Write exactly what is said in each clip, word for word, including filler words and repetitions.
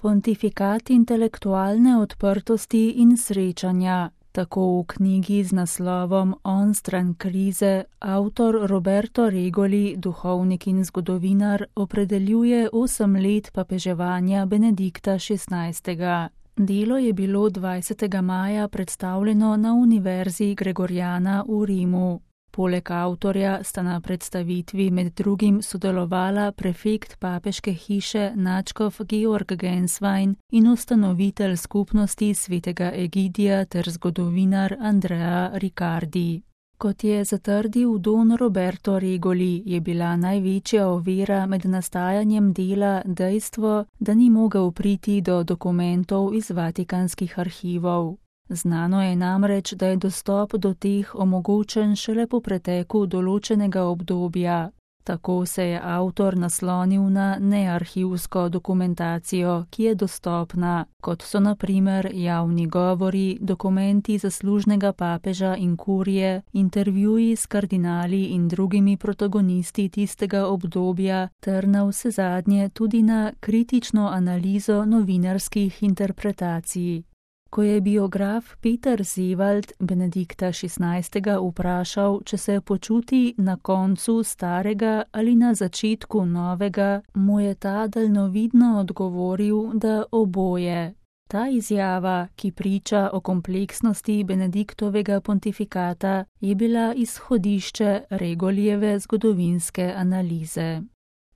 Pontifikat intelektualne odprtosti in srečanja. Tako v knjigi z naslovom Onstran krize avtor Roberto Regoli, duhovnik in zgodovinar, opredeljuje osem let papeževanja Benedikta šestnajstega. Delo je bilo dvajsetega maja predstavljeno na Univerzi Gregoriana v Rimu. Poleg avtorja sta na predstavitvi med drugim sodelovala prefekt papeške hiše nadškof Georg Genswein in ustanovitelj skupnosti svetega Egidija ter zgodovinar Andrea Riccardi. Kot je zatrdil don Roberto Regoli, je bila največja ovira med nastajanjem dela dejstvo, da ni mogel priti do dokumentov iz vatikanskih arhivov. Znano je namreč, da je dostop do teh omogočen šele po preteku določenega obdobja. Tako se je avtor naslonil na nearhivsko dokumentacijo, ki je dostopna, kot so na primer javni govori, dokumenti zaslužnega papeža in kurije, intervjuji s kardinali in drugimi protagonisti tistega obdobja, ter na vsezadnje tudi na kritično analizo novinarskih interpretacij. Ko je biograf Peter Zewald Benedikta šestnajstega vprašal, če se počuti na koncu starega ali na začetku novega, mu je ta daljnovidno odgovoril, da oboje. Ta izjava, ki priča o kompleksnosti Benediktovega pontifikata, je bila izhodišče Regolijeve zgodovinske analize.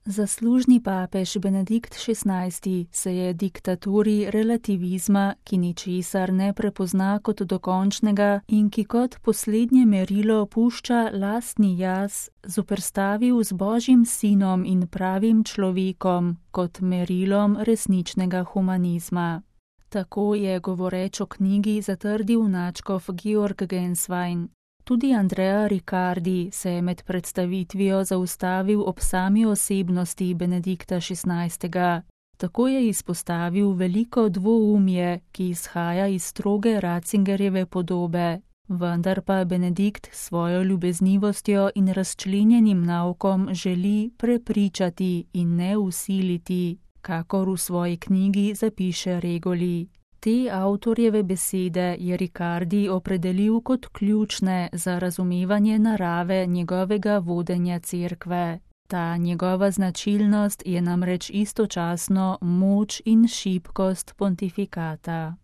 Zaslužni papež Benedikt šestnajsti se je diktaturi relativizma, ki ničesar ne prepozna kot dokončnega in ki kot poslednje merilo pušča lastni jaz, zoperstavil z Božjim sinom in pravim človekom kot merilom resničnega humanizma. Tako je govoreč o knjigi zatrdil nadškof Georg Genswein. Tudi Andrea Riccardi se je med predstavitvijo zaustavil ob sami osebnosti Benedikta šestnajstega. Tako je izpostavil veliko dvoumje, ki izhaja iz stroge Ratzingerjeve podobe, vendar pa Benedikt s svojo ljubeznivostjo in razčlenjenim naukom želi prepričati in ne usiliti, kakor v svoji knjigi zapiše Regoli. Te avtorjeve besede je Riccardi opredelil kot ključne za razumevanje narave njegovega vodenja cerkve. Ta njegova značilnost je namreč istočasno moč in šibkost pontifikata.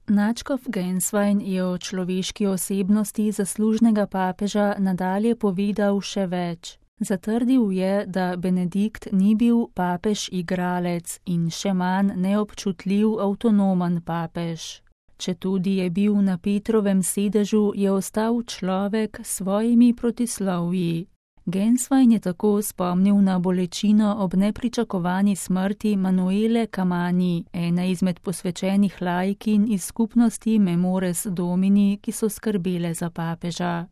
Nadškof Genswein je o človeški osebnosti zaslužnega papeža nadalje povedal še več. Zatrdil je, da Benedikt ni bil papež igralec in še manj neobčutljiv avtonomen papež. Četudi je bil na Petrovem sedežu, je ostal človek s svojimi protislovji. Genswein je tako spomnil na bolečino ob nepričakovani smrti Manuele Camani, ene izmed posvečenih laikin iz skupnosti Memores Domini, ki so skrbele za papeža.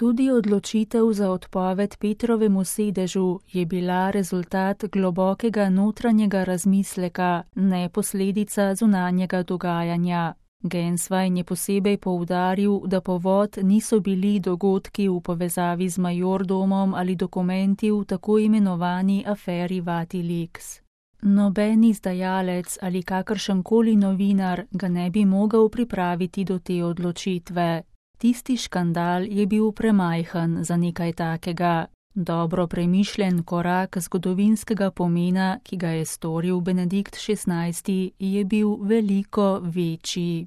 Tudi odločitev za odpoved Petrovemu sedežu je bila rezultat globokega notranjega razmisleka, ne posledica zunanjega dogajanja. Genswein je posebej poudaril, da povod niso bili dogodki v povezavi z majordomom ali dokumenti v tako imenovani aferi Vatilix. Noben izdajalec ali kakršenkoli novinar ga ne bi mogel pripraviti do te odločitve. Tisti škandal je bil premajhen za nekaj takega. Dobro premišljen korak zgodovinskega pomena, ki ga je storil Benedikt šestnajsti, je bil veliko večji.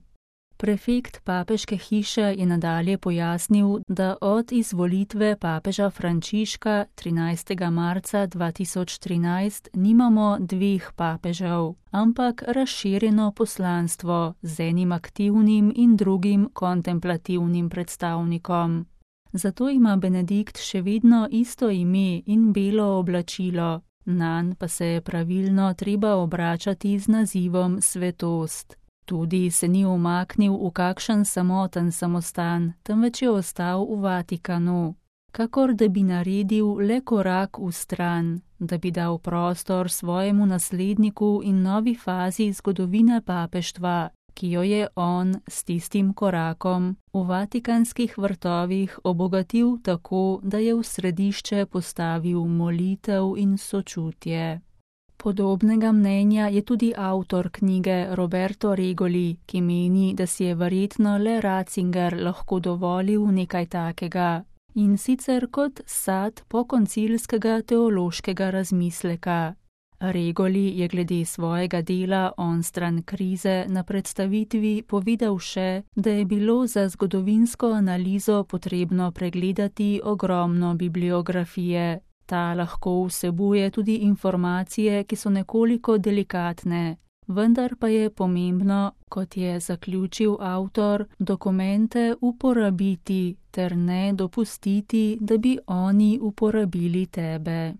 Prefekt papeške hiše je nadalje pojasnil, da od izvolitve papeža Frančiška trinajstega marca dva tisoč trinajst nimamo dveh papežev, ampak razširjeno poslanstvo z enim aktivnim in drugim kontemplativnim predstavnikom. Zato ima Benedikt še vedno isto ime in belo oblačilo, nanj pa se je pravilno treba obračati z nazivom svetost. Tudi se ni umaknil v kakšen samoten samostan, temveč je ostal v Vatikanu, kakor da bi naredil le korak v stran, da bi dal prostor svojemu nasledniku in novi fazi zgodovine papeštva, ki jo je on s tistim korakom v vatikanskih vrtovih obogatil tako, da je v središče postavil molitev in sočutje. Podobnega mnenja je tudi avtor knjige Roberto Regoli, ki meni, da si je verjetno le Ratzinger lahko dovolil nekaj takega, in sicer kot sad pokoncilskega teološkega razmisleka. Regoli je glede svojega dela Onstran krize na predstavitvi povedal še, da je bilo za zgodovinsko analizo potrebno pregledati ogromno bibliografije. Ta lahko vsebuje tudi informacije, ki so nekoliko delikatne, vendar pa je pomembno, kot je zaključil avtor, dokumente uporabiti ter ne dopustiti, da bi oni uporabili tebe.